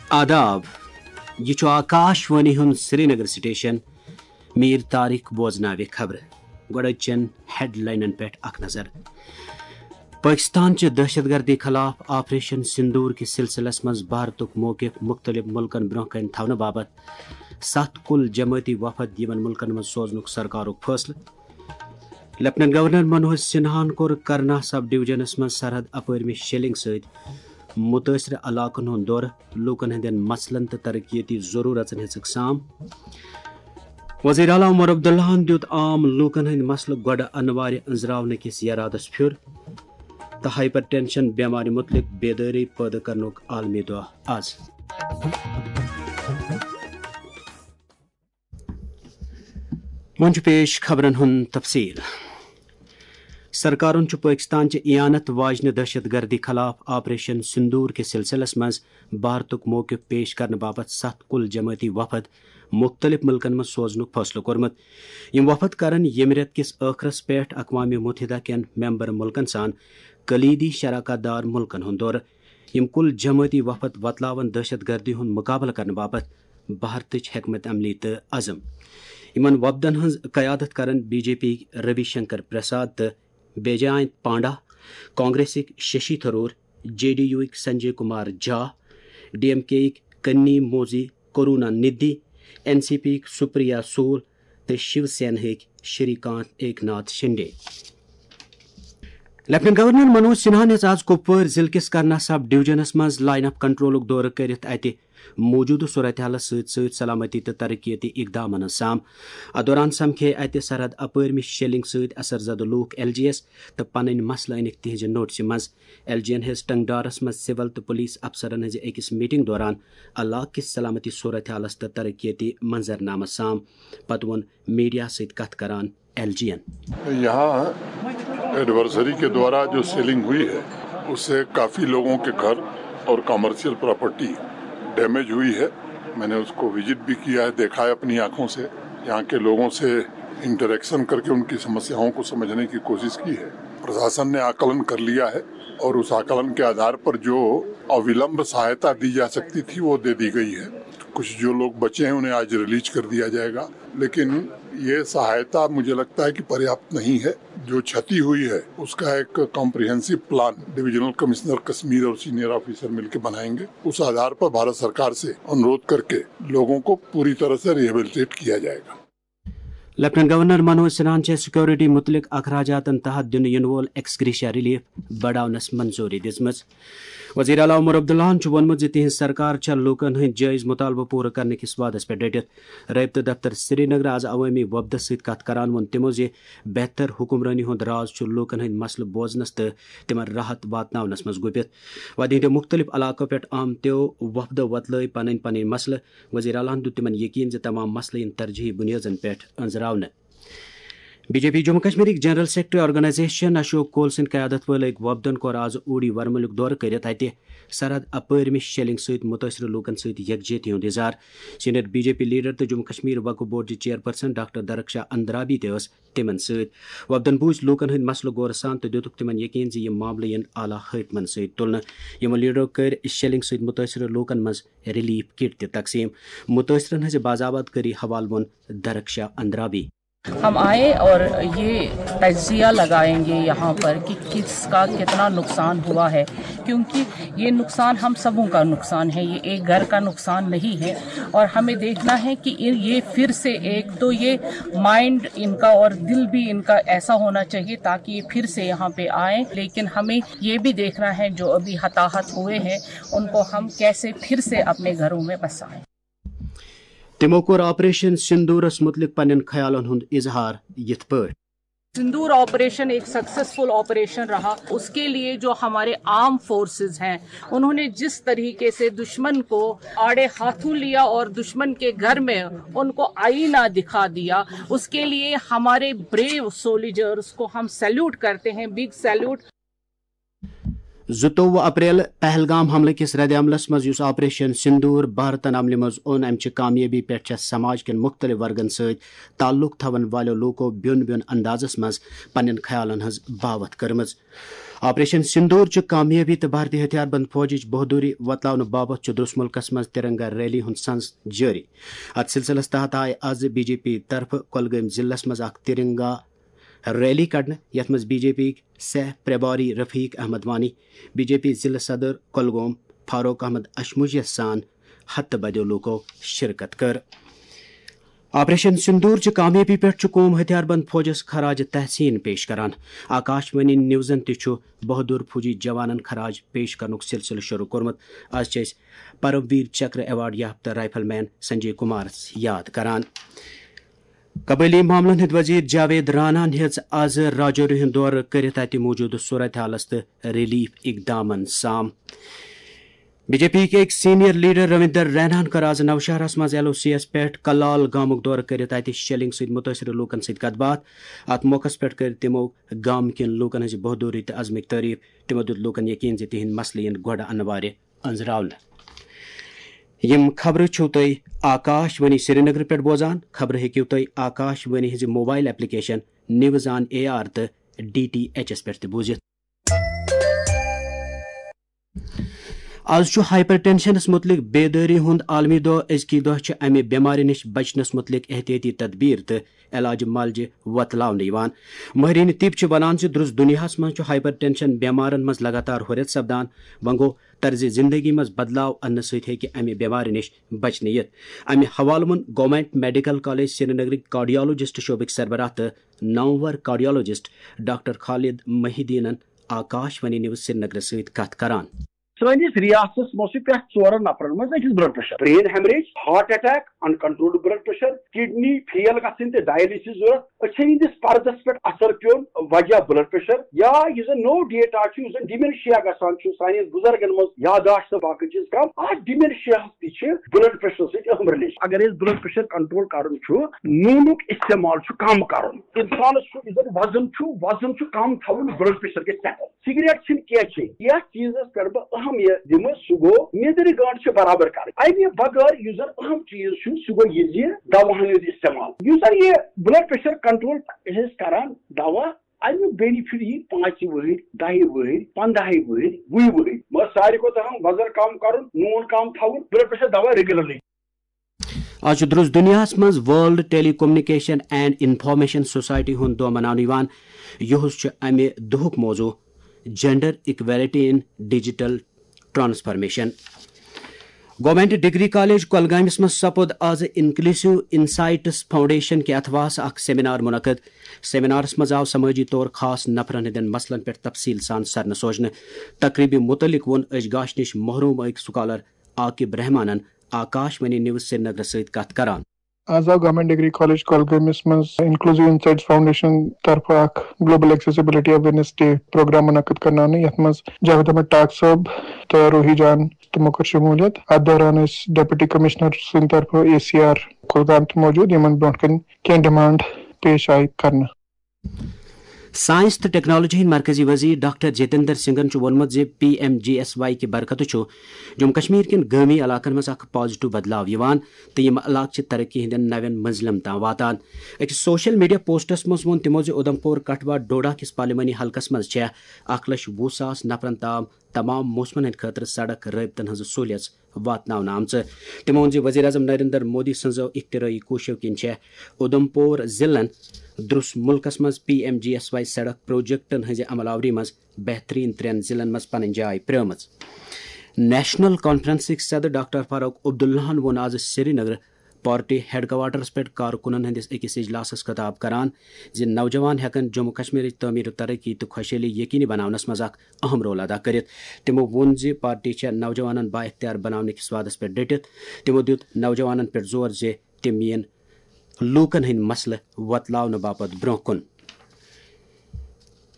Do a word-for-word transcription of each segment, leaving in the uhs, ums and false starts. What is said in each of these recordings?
آداب، یہِ چھُ آکاش وانی ہُنٛد سرینگر سٹیشن۔ میر طارق بوزناوِ خبرٕ۔ گۄڈٕ چٮ۪ن ہیڈلاینن پٮ۪ٹھ اکھ نظر۔ پٲکستان چہِ دہشت گردی خلاف آپریشن سندور کِس سلسلس منٛز بھارتُک موقف مُختٔلِف مُلکن برٛونٛہہ کنہِ تھاونہٕ باپتھ ستھ کُل جمٲعتی وفد یِمن مُلکن منٛز سوزنُک سرکارُک فٲصلہٕ۔ لیفٹیننٹ گورنر منوج سنہاہن کوٚر کرنا سب ڈویژنس منٛز سرحد اپٲرمہِ شیلنگ سۭتۍ مُتٲثرٕ علاقن ہُنٛد دورٕ، لوٗکن ہٕنٛدٮ۪ن مسلن تہٕ ترقیتی ضروٗرژن ہیٚژٕکھ سام۔ وزیر اعلیٰ عمر عبداللہن دیُت عام لوٗکن ہٕنٛدۍ مسلہٕ گۄڈٕ انوارِ أنٛزراونہٕ کِس یرادس پھیُر تہٕ ہائپر ٹینشن بٮ۪مارِ مُتعلق بیدٲری پٲدٕ کرنُک عالمی دۄہ آز۔ وۄنۍ چھُ پیش خبرن ہُنٛد تفصیل۔ سرکارن چھُ پٲکستان چہِ اعانت واجنہِ دہشت گردی خلاف آپریشن سندور کِس سلسلس منٛز بھارتُک موقف پیش کرنہٕ باپتھ ستھ کُل جمٲعتی وفد مُختٔلِف مُلکن منٛز سوزنُک فٲصلہٕ کوٚرمُت۔ یِم وفد کرن ییٚمہِ رٮ۪تہٕ کِس ٲخرس پٮ۪ٹھ اقوام متحدہ کٮ۪ن ممبر مُلکن سان کلیدی شراکت دار مُلکن ہُنٛد دورٕ۔ یِم کُل جمٲعتی وفد وۄتلاون دہشت گردی ہُنٛد مُقابلہٕ کرنہٕ باپتھ بھارتٕچ حکمت عملی تہٕ عزم۔ یِمن وفدن ہٕنٛز قیادت کرن B J P Ravi Shankar Prasad تہٕ بیجاینت panda, کانگریسٕکۍ Shashi Tharoor, J D یوٕکۍ Sanjay Kumar جھا، ڈی ایم کے یٕکۍ کنی موزی کرونا ندھی، این سی پی یٕکۍ سپریا سول تہٕ شیو سینہٕکۍ شری کانت ایک ناتھ شنڈے۔ لیفٹیننٹ گورنر منوج سنہاہن ہیٚژ آز کپوور ضلعہٕ کِس کرنا سب ڈویژنس منٛز لائن آف کنٹرولُک دورٕ کٔرِتھ اتہِ موجودٕ صورتحالس سۭتۍ سۭتۍ سلامتی تہٕ ترقیتی اقدامن ہٕنٛز سام۔ اتھ دوران سمکھے اتہِ سرحد اپٲرمہِ شیلنگ سۭتۍ اثر زدٕ لوٗکھ ایل جی یس تہٕ پنٕنۍ مسلہٕ أنِکھ تِہنزِ نوٹسہِ منٛز۔ ایل جی ین ہیٚژ ٹنگڈارس منٛز سول تہٕ پولیس افسرن ہٕنٛزِ أکِس میٹنگ دوران علاقہٕ کِس سلامتی صورتحالس تہٕ ترقیتی منظرنامس سام۔ پتہٕ ووٚن میڈیا سۭتۍ کتھ کران ایل جی ین۔ यहाँ एडवर्सरी के द्वारा जो सेलिंग हुई है, उससे काफ़ी लोगों के घर और कमर्शियल प्रॉपर्टी डैमेज हुई है। मैंने उसको विजिट भी किया है, देखा है अपनी आंखों से। यहाँ के लोगों से इंटरेक्शन करके उनकी समस्याओं को समझने की कोशिश की है। प्रशासन ने आकलन कर लिया है और उस आकलन के आधार पर जो अविलंब सहायता दी जा सकती थी, वो दे दी गई है। कुछ जो लोग बचे हैं, उन्हें आज रिलीज कर दिया जाएगा, लेकिन ये सहायता मुझे लगता है कि पर्याप्त नहीं है। जो क्षति हुई है, उसका एक comprehensive plan divisional commissioner Kashmir और सीनियर ऑफिसर मिलकर बनाएंगे। उस आधार पर भारत सरकार से अनुरोध करके लोगों को पूरी तरह से रिहेबिलिटेट किया जाएगा। لیفٹیننٹ گورنر منوج سنہاہن چھےٚ سیکورٹی متعلق اخراجاتن تحت دِنہٕ یِنہٕ وول ایکس گریشیا ریلیف بڑاونس منظوری دِژمٕژ۔ وزیر اعلیٰ عمر عبداللہن چھُ ووٚنمُت زِ تِہنٛز سرکار چھےٚ لوٗکن ہٕنٛدۍ جٲیز مطالبہٕ پوٗرٕ کرنہٕ کِس وعدس پٮ۪ٹھ ڈٔٹِتھ۔ رٲبطہٕ دفتر سرینگر آز عوٲمی وفدس سۭتۍ کتھ کران ووٚن تِمو زِ بہتر حکمرٲنی ہُنٛد راز چھُ لوٗکن ہٕنٛدۍ مسلہٕ بوزنس تہٕ تِمن راحت واتناونس منٛز گُپِتھ۔ وادی ہٕنٛدیو مُختٔلِف علاقو پٮ۪ٹھ آمتیو وفدو وۄتلٲوۍ پنٕنۍ پنٕنۍ مسلہٕ۔ وزیر اعلیٰ ہن دیُت تِمن یقین زِ تمام مسلہٕ یِن ترجیحی بُنیٲدن پٮ۪ٹھ أنٛزراونہٕ۔ بی جے پی جموں کشمیرٕکۍ general secretary organisation Ashok Koul سٕنٛدِ قیادت وٲلۍ أکۍ وفدن کوٚر آز اوڈی ورمُلُک دورٕ کٔرِتھ اتہِ سرحد اپٲرمہِ شیلنگ سۭتۍ مُتٲثرٕ لوٗکن سۭتۍ یکجہتی ہُنٛد اظہار۔ Senior B J P leader تہٕ جموں کشمیر وقف بورڈ چہِ چیئرپرسن ڈاکٹر درخشا اندرابی تہِ ٲس تِمن سۭتۍ۔ وفدن بوٗزۍ لوٗکن ہٕنٛدۍ مسلہٕ غورٕ سان تہٕ دِتُکھ تِمن یقین زِ یِم معاملہٕ یِن اعلیٰ حٲکمن سۭتۍ تُلنہٕ۔ یِمو لیڈرو کٔرۍ شیلنگ سۭتۍ مُتٲثرٕ لوٗکن منٛز ریلیف کٹ تہِ تقسیٖم۔ مُتٲثرن ہٕنٛزِ باضابطگی حوالہٕ ووٚن درخشا اندرابی۔ ہم آئے اور یہ تجزیہ لگائیں گے یہاں پر کہ کس کا کتنا نقصان ہوا ہے، کیونکہ یہ نقصان ہم سبوں کا نقصان ہے، یہ ایک گھر کا نقصان نہیں ہے۔ اور ہمیں دیکھنا ہے کہ یہ پھر سے، ایک تو یہ مائنڈ ان کا اور دل بھی ان کا ایسا ہونا چاہیے تاکہ یہ پھر سے یہاں پہ آئیں، لیکن ہمیں یہ بھی دیکھنا ہے جو ابھی ہتاہت ہوئے ہیں ان کو ہم کیسے پھر سے اپنے گھروں میں بسائیں۔ تِمو کوٚر آپریشن سندورس مُتعلق پننٮ۪ن خیالن ہُنٛد اظہار یِتھ پٲٹھۍ۔ سندور آپریشن ایک سکسیسفل آپریشن رہا۔ اس کے لیے جو ہمارے آرم فورسز ہیں، انہوں نے جس طریقے سے دشمن کو آڑے ہاتھوں لیا اور دشمن کے گھر میں ان کو آئینہ دکھا دیا، اس کے لیے ہمارے بریو سولیجرز کو ہم سیلوٹ کرتے ہیں، بگ سیلوٹ۔ زٕتووُہ اپریل پہلگام حملہٕ کِس ردِ عملس منٛز یُس آپریشن سندور بھارتن عملہِ منٛز اوٚن، امہِ چہِ کامیٲبی پٮ۪ٹھ چھےٚ سماج کٮ۪ن مُختٔلِف ورگن سۭتۍ تعلق تھاون والٮ۪و لوٗکو بیوٚن بیوٚن اندازس منٛز پننٮ۪ن خیالن ہٕنٛز باوتھ کٔرمٕژ۔ آپریشن سندور چہِ کامیٲبی تہٕ بھارتی ہتھیار بند فوجٕچ بہادری وۄتلاونہٕ باپتھ چھُ درس مُلکس منٛز ترنگا ریلی ہُنٛد سنز جٲری۔ اتھ سلسلس تحت آیہِ از بی جے پی طرفہٕ کۄلگٲمۍ ضلعس منٛز اکھ ترنگا ریلی کڑنہٕ، یتھ منٛز بی جے پی سہ پرباری Rafiq Ahmad Wani, B J P ضلع صدر کۄلگوم فاروق احمد اشموجیس سان ہتہٕ بدیو لوٗکو شرکت کٔر۔ آپریشن سندور چہِ کامیٲبی پٮ۪ٹھ چھُ قوم ہتھیار بند فوجس خراج تحسین پیش کران۔ آکاش وانی نیوزن تہِ چھُ بہادر فوجی جوانن خراج پیش کرنُک سلسلہٕ شروع کوٚرمُت۔ از چھِ أسۍ پرم ویر چکر ایوارڈ یافتہٕ رائفل مین سنجے کمارس یاد کران۔ قبٲئلی معاملن ہٕنٛدۍ وزیر جاوید راناہن ہیٚژ از راجوری ہُنٛد دورٕ کٔرِتھ اتہِ موجودٕ صورتحالس تہٕ ریلیف اقدامن سام۔ بی جے پی کہِ أکۍ سینئر لیڈر رویندر ریناہن کٔر از نوشہرس منٛز ایل او سی یس پٮ۪ٹھ کلال گامُک دورٕ کٔرِتھ اتہِ شیلنگ سۭتۍ مُتٲثرٕ لوٗکن سۭتۍ کتھ باتھ۔ اتھ موقعس پٮ۪ٹھ کٔر تِمو گامہٕ کٮ۪ن لوٗکن ہٕنٛزِ بہادری تہٕ عزمٕکۍ تعریف۔ تِمو دیُت لوٗکن یقین زِ تِہنٛدۍ مسلہٕ یِن گۄڈٕ انوارِ أنٛزراونہٕ۔ یِم خبرٕ چھِو تُہۍ آکاش وانی سرینگرٕ پٮ۪ٹھ بوزان۔ خبرٕ ہیٚکِو تُہۍ آکاش وانی ہٕنٛزِ mobile application news on A R تہٕ ڈی ٹی ایچ ایس پٮ۪ٹھ تہِ بوٗزِتھ۔ از چھُ ہائپر ٹینشنس متعلق بیدٲری ہُنٛد عالمی دۄہ۔ أزکی دۄہ چھِ امہِ بٮ۪مارِ نِش بچنس متعلق احتیاطی تدبیر تہٕ علاج معالجہِ وۄتلاونہٕ یِوان۔ مٲہریٖن طب چھِ ونان زِ درٛس دُنیاہس منٛز چھُ ہائپر ٹینشن بٮ۪مارن منٛز لگاتار ہُرٮ۪ر سپدان۔ وۄنۍ گوٚو، طرزِ زندگی منٛز بدلاو اننہٕ سۭتۍ ہیٚکہِ امہِ بٮ۪مارِ نِش بچنہٕ یِتھ۔ امہِ حوالہٕ ووٚن گورنمنٹ میڈیکل کالج سرینگرٕکۍ کارڈیالوجسٹ شعبٕکۍ سربراہ تہٕ نامور کارڈیالوجسٹ ڈاکٹر خالد محی الدینن آکاش وانی نیوز سرینگرس سۭتۍ کتھ کران۔ سٲنِس ریاستس منٛز چھُ پرٛٮ۪تھ ژورن نفرن منٛز أکِس blood pressure, brain haemorrhage, heart attack, uncontrolled blood pressure, kidney fail گژھٕنۍ تہٕ ڈایلسس ضرورت۔ أسۍ چھِ یِہنٛدِس پردس پٮ۪ٹھ اثر پیوٚن وجہ بلڈ پریشر یا یُس زن نوٚو ڈیٹا چھُ، یُس زن ڈیمینشیا گژھان چھُ سانٮ۪ن بُزرگن منٛز، یاداشت تہٕ باقٕے چیٖز کم۔ اتھ ڈیمینشیاہس تہِ چھِ بلڈ پریشر سۭتۍ اہم ریلیشن۔ اگر أسۍ بلڈ پریشر کنٹرول کرُن چھُ، نوٗنُک استعمال چھُ کم کرُن۔ انسانس چھُ یُس زن وزن چھُ، وزن چھُ کم تھاوُن، بلڈ پریشر گژھِ سیٹل۔ سگریٹ چھِنہٕ کینٛہہ چیٚنۍ۔ یتھ چیٖزس پٮ۪ٹھ بہٕ اہم یہِ دِمہٕ، سُہ گوٚو نیٚدرِ گنٛڈ چھِ برابر کرٕنۍ۔ امہِ بغٲر یُس زن اہم چیٖز چھُ، سُہ گوٚو یہِ زِ دواہن ہُنٛد استعمال۔ یُس زن یہِ بلڈ پریشر کنٹرول چھِ أسۍ کران دوا، امیُک بینیفٹ یی پانٛژِ وٕہٕرۍ، دَہہِ وٕہٕرۍ، پنٛداہہِ وٕہٕرۍ، وُہہِ وٕہٕرۍ۔ مگر ساروی کھۄتہٕ اہم وزن کم کرُن، نوٗن کم تھاوُن، بلڈ پریشر دوا ریگولرلی۔ آز چھُ درٛس دُنیاہَس منٛز world telecommunication and information society ہُنٛد دۄہ مناونہٕ یِوان۔ یُہُس چھُ اَمہِ دۄہُک موضوع gender equality in digital transformation. Government degree college کۄلگٲمِس منٛز سپُد آز انکلیوسو انسائٹس فاؤنڈیشن کہِ اتھواسہٕ اکھ سیمینار منعقد۔ سیمینارس منٛز آو سمٲجی طور خاص نفرن ہٕنٛدٮ۪ن مسلن پٮ۪ٹھ تفصیل سان سرنہٕ سوزنہٕ۔ تقریبہِ متعلق ووٚن أزۍ گاشہِ نِش محروم أکۍ سکالر عاقب رحمانن آکاش وانی نیوز سرینگرس سۭتۍ کتھ کران۔ آز آو گورنمنٹ ڈگری کالج کۄلگٲمِس منٛز انکلیوسو انسائٹس فاؤنڈیشن طرفہٕ اکھ global accessibility awareness day programme منعقد کرناونہٕ، یتھ منٛز جاوید احمد ٹاک صٲب تہٕ روحی جان تِمو کٔر شموٗلیت۔ اتھ دوران ٲسۍ ڈپٹی کمشنر سٕنٛدِ طرفہٕ اے سی آر کۄلگام تہِ موجود، یِمن برونٛٹھ کنہِ کینٛہہ ڈیمانڈ پیش آیہِ کرنہٕ۔ سائنس تہٕ ٹیکنالوجی ہٕنٛدۍ مرکزی وزیر ڈاکٹر جتیندر سنگھن چھُ ووٚنمُت زِ P M G S Y کہِ برکتہٕ چھُ جموں کشمیر کٮ۪ن گٲمی علاقن منٛز اکھ پازیٹیو بدلاو یِوان تہٕ یِم علاقہٕ چھِ ترقی ہٕنٛدٮ۪ن نوٮ۪ن منزلن تام واتان۔ أکِس سوشل میڈیا پوسٹس منٛز ووٚن تِمو زِ اُدھمپور کٹھوا ڈوڈا کِس پارلیمانی حلقس منٛز چھےٚ اکھ لچھ وُہ ساس نفرن تام تمام موسمن ہٕنٛدِ خٲطرٕ سڑک رٲبطن ہٕنٛز سہولیژ واتناونہٕ آمژٕ۔ تِمو ووٚن زِ وزیر اعظم نریندر مودی سٕنٛزو اختراعی کوٗششو کِنۍ چھےٚ اُدھمپور ضلعن درٛس مُلکس منٛز P M G S Y سڑک پروجیکٹن ہٕنٛزِ عمل آوری منٛز بہترین ترٛٮ۪ن ضلعن منٛز پنٕنۍ جاے پرٛٲومٕژ۔ نیشنل کانفرنسٕکۍ صدر ڈاکٹر فاروق عبداللہن ووٚن آز سرینگرٕ پارٹی ہیڈ کوارٹرس پٮ۪ٹھ کارکنن ہٕنٛدِس أکِس اجلاسس خطاب کران زِ نوجوان ہٮ۪کن جموں کشمیرٕچ تعمیر و ترقی تہٕ خۄشحٲلی یقینی بناونس منٛز اکھ اہم رول ادا کٔرِتھ۔ تِمو ووٚن زِ پارٹی چھےٚ نوجوانن با اختیار بناونہٕ کِس وعدس پٮ۪ٹھ ڈٔٹِتھ۔ تِمو دیُت نوجوانن پٮ۪ٹھ زور زِ تِم یِن لوٗکن ہٕنٛدۍ مسلہٕ وۄتلاونہٕ باپتھ برٛونٛہہ کُن۔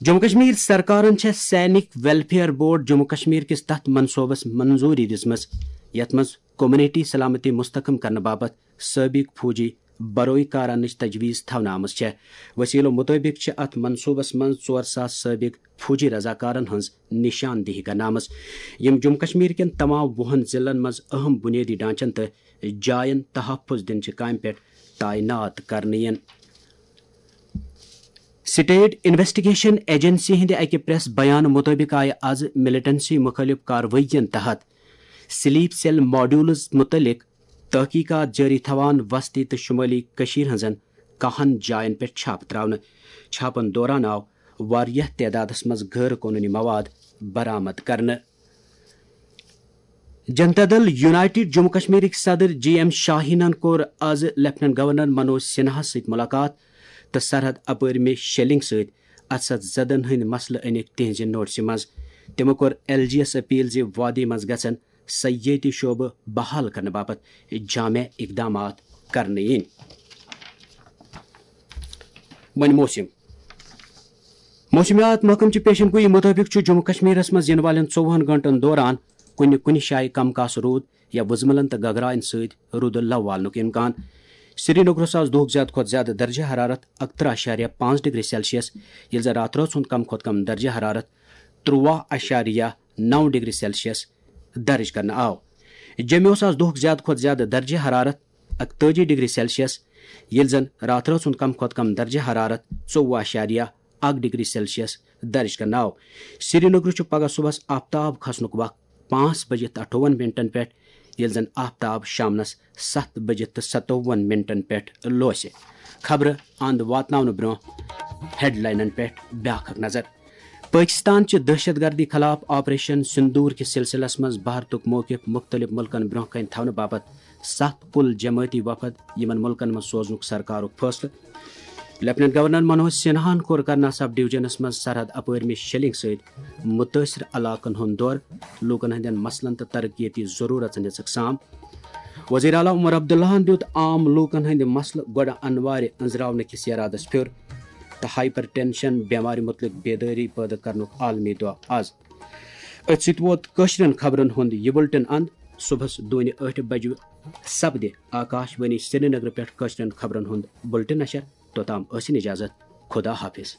جموں کشمیر سرکارن چھےٚ سینک ویلفیئر بورڈ جموں کشمیر کِس تتھ منصوبس منظوری دِژمٕژ، یتھ منٛز کمیونٹی سلامتی مستحکم کرنہٕ باپتھ سٲبق فوجی بروئی کار اننٕچ تجویز تھاونہٕ آمٕژ چھےٚ۔ وسیلو مطٲبق چھِ اتھ منصوبس منٛز ژور ساس سٲبق فوجی رضاکارن ہٕنٛز نشاندہی کرنہٕ آمٕژ، یِم جموں کشمیر کٮ۪ن تمام وُہن ضلعن منٛز اہم بنیٲدی ڈھانچن تہٕ جاین تحفظ دِنہٕ چہِ کامہِ پٮ۪ٹھ تعینات کرنہٕ یِن۔ سٹیٹ انویسٹیگیشن ایجنسی ہٕنٛدِ اکہِ پریس بیان مطٲبق آیہِ از ملیٹنسی مخٲلف کاروٲیین تحت سلیپ سیل ماڈیولز متعلق تحقیقات جٲری تھاوان وسطی تہٕ شمٲلی کٔشیٖر ہٕنٛزن کاہن جاین پٮ۪ٹھ چھاپہٕ تراونہٕ۔ چھاپن دوران آو واریاہ تعدادس منٛز غٲر قونوٗنی مواد برآمد کرنہٕ۔ جنتا دل یونائیٹڈ جموں کشمیرٕکۍ صدر جی ایم شاہینن کوٚر از لیفٹیننٹ گورنر منوج سنہاہس سۭتۍ ملاقات تہٕ سرحد اپٲرۍ مے شیلنگ سۭتۍ اَتھٕ زدن ہٕنٛدۍ مسلہٕ أنِکھ تِہنٛزِ نوٹسہِ منٛز۔ تِمو کوٚر ایل جی یس اپیل زِ وادی منٛز گژھن سیٲحتی شعبہٕ بحال کرنہٕ باپتھ جامع اقدامات کرنہٕ یِنۍ۔ وۄنۍ موسم۔ موسمیات محکمہٕ چہِ پیشن گویی مُطٲبِق چھُ جموں کشمیرس منٛز یِنہٕ والٮ۪ن ژوٚوُہن گٲنٛٹن دوران کُنہِ کُنہِ جایہِ کم کاسہٕ روٗد یا وُزملن تہٕ گگراین سۭتۍ روٗدٕ لو والنُک امکان۔ سرینگرس آز دۄہُک زیادٕ کھۄتہٕ زیادٕ درجہ حرارت اکترہ اعشاریہ پانٛژھ ڈگری سیلسیس، ییٚلہِ زن راتھ رٲژ ہُنٛد کم کھۄتہٕ کم درجہ حرارت ترٛواہ اعشاریہ نو ڈگری سیلسیس درج کرنہٕ آو۔ جوٚمہِ اوس آز دۄہُک زیادٕ کھۄتہٕ زیادٕ درجہ حرارت اکتٲجی ڈگری سیلسیس، ییٚلہِ زن راتھ رٲژ ہُنٛد کم کھۄتہٕ کم درجہ حرارت ژوٚوُہ اعشاریہ اکھ ڈگری سیلسیس درج کرنہٕ آو۔ سرینگرٕ چھُ پگہہ صبحس آفتاب کھسنُک وق پانٛژھ بجہِ تہٕ اَٹھووُہن منٹن پٮ۪ٹھ، ییٚلہِ زن آفتاب شامنس ستھ بجہِ تہٕ ستووُہن منٹن پٮ۪ٹھ لوسہِ۔ خبرٕ اند واتناونہٕ برونٛہہ ہیڈلاینن پٮ۪ٹھ بیاکھ اکھ نظر۔ پٲکِستان چہِ دہشت گردی خلاف آپریشن سندور کِس سلسلس منٛز بھارتُک موقف مُختٔلِف مُلکن برٛونٛہہ کنہِ تھاونہٕ باپتھ ستھ کُل جمٲعتی وفد، یِمن مُلکن منٛز سوزنُک سرکارُک فٲصلہٕ۔ لیفٹیننٹ گورنر منوج سنہاہن کوٚر کرنا سب ڈویژنس منٛز سرحد اپٲرۍ مے شیلنگ سۭتۍ مُتٲثر علاقن ہُنٛد دورٕ، لوٗکن ہٕنٛدٮ۪ن مسلن تہٕ ترقیتی ضروٗرژن دِژٕکھ سام۔ وزیر اعلیٰ عمر عبداللہن دیُت عام لوٗکن ہٕنٛدِ مسلہٕ گۄڈٕ انوارِ أنٛزراونہٕ کِس ارادس پھیُر تہٕ ہائپر ٹینشن بٮ۪مارِ مُتعلق بیدٲری پٲدٕ کرنُک عالمی دۄہ از۔ أتھۍ سۭتۍ ووت کٲشرٮ۪ن خبرن ہُنٛد یہِ بُلٹن اند۔ صبحس دونہِ ٲٹھِ بجہِ سپدِ آکاش وانی سرینگرٕ پٮ۪ٹھ کٲشرٮ۪ن خبرن ہُنٛد بُلٹن نشر۔ توٚتام ٲسِن اجازت۔ خدا حافظ۔